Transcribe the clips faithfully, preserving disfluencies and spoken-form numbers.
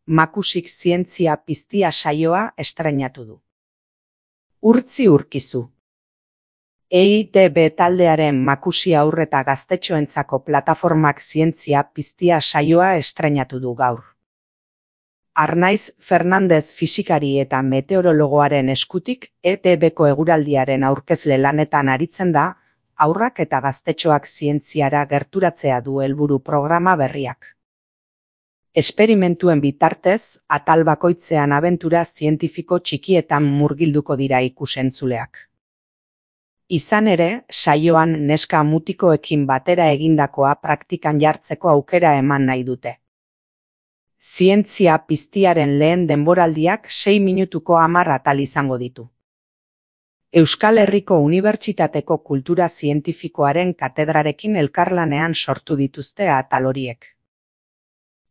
Makusik zientzia piztia saioa estreinatu du. Urtzi Urkizu. E I T B taldearen Makusi haur eta gaztetxoentzako plataformak zientzia piztia saioa estreinatu du gaur. Arnaiz Fernandez fisikari eta meteorologoaren eskutik E T Bko eguraldiaren aurkezle lanetan aritzen da, haurrak eta gaztetxoak zientziara gerturatzea du helburu programa berriak. Esperimentuen bitartez, atal bakoitzean abentura zientifiko txikietan murgilduko dira ikusentzuleak. Izan ere, saioan neska mutikoekin batera egindakoa praktikan jartzeko aukera eman nahi dute. Zientzia piztiaren lehen denboraldiak sei minutuko hamar atal izango ditu. Euskal Herriko Unibertsitateko Kultura Zientifikoaren katedrarekin elkarlanean sortu dituzte atal horiek.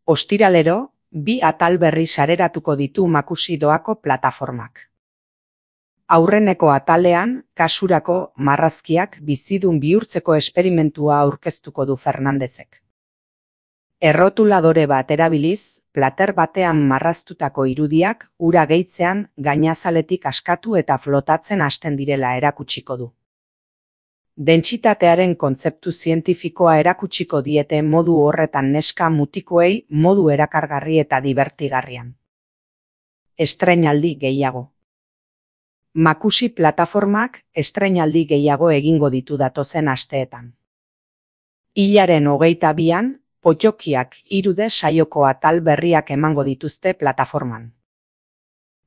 Ostiralero, bi atal berri sareratuko ditu Makusi doako plataformak. Aurreneko atalean, kasurako marrazkiak bizidun bihurtzeko esperimentua aurkeztuko du Fernandezek. Errotuladore bat erabiliz, plater batean marraztutako irudiak ura gehitzean gainazaletik askatu eta flotatzen hasten direla erakutsiko du. Dentsitatearen kontzeptu zientifikoa erakutsiko diete modu horretan neska mutikoei modu erakargarri eta dibertigarrian. Estreinaldi gehiago. Makusi plataformak estreinaldi gehiago egingo ditu datozen asteetan. Hilaren hogeita bian, Pottokiak hirude saioko atal berriak emango dituzte plataforman.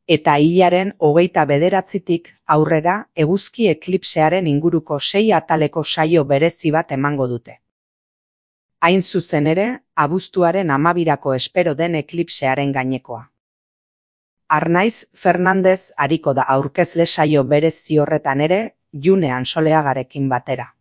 Eta hilaren hogeita bederatzitik aurrera eguzki eklipsearen inguruko sei ataleko saio berezi bat emango dute. Hain zuzen ere, abuztuaren hamabirako espero den eklipsearen gainekoa. Arnaiz Fernandez ariko da aurkezle saio berezi horretan ere, June Ansoleagarekin batera.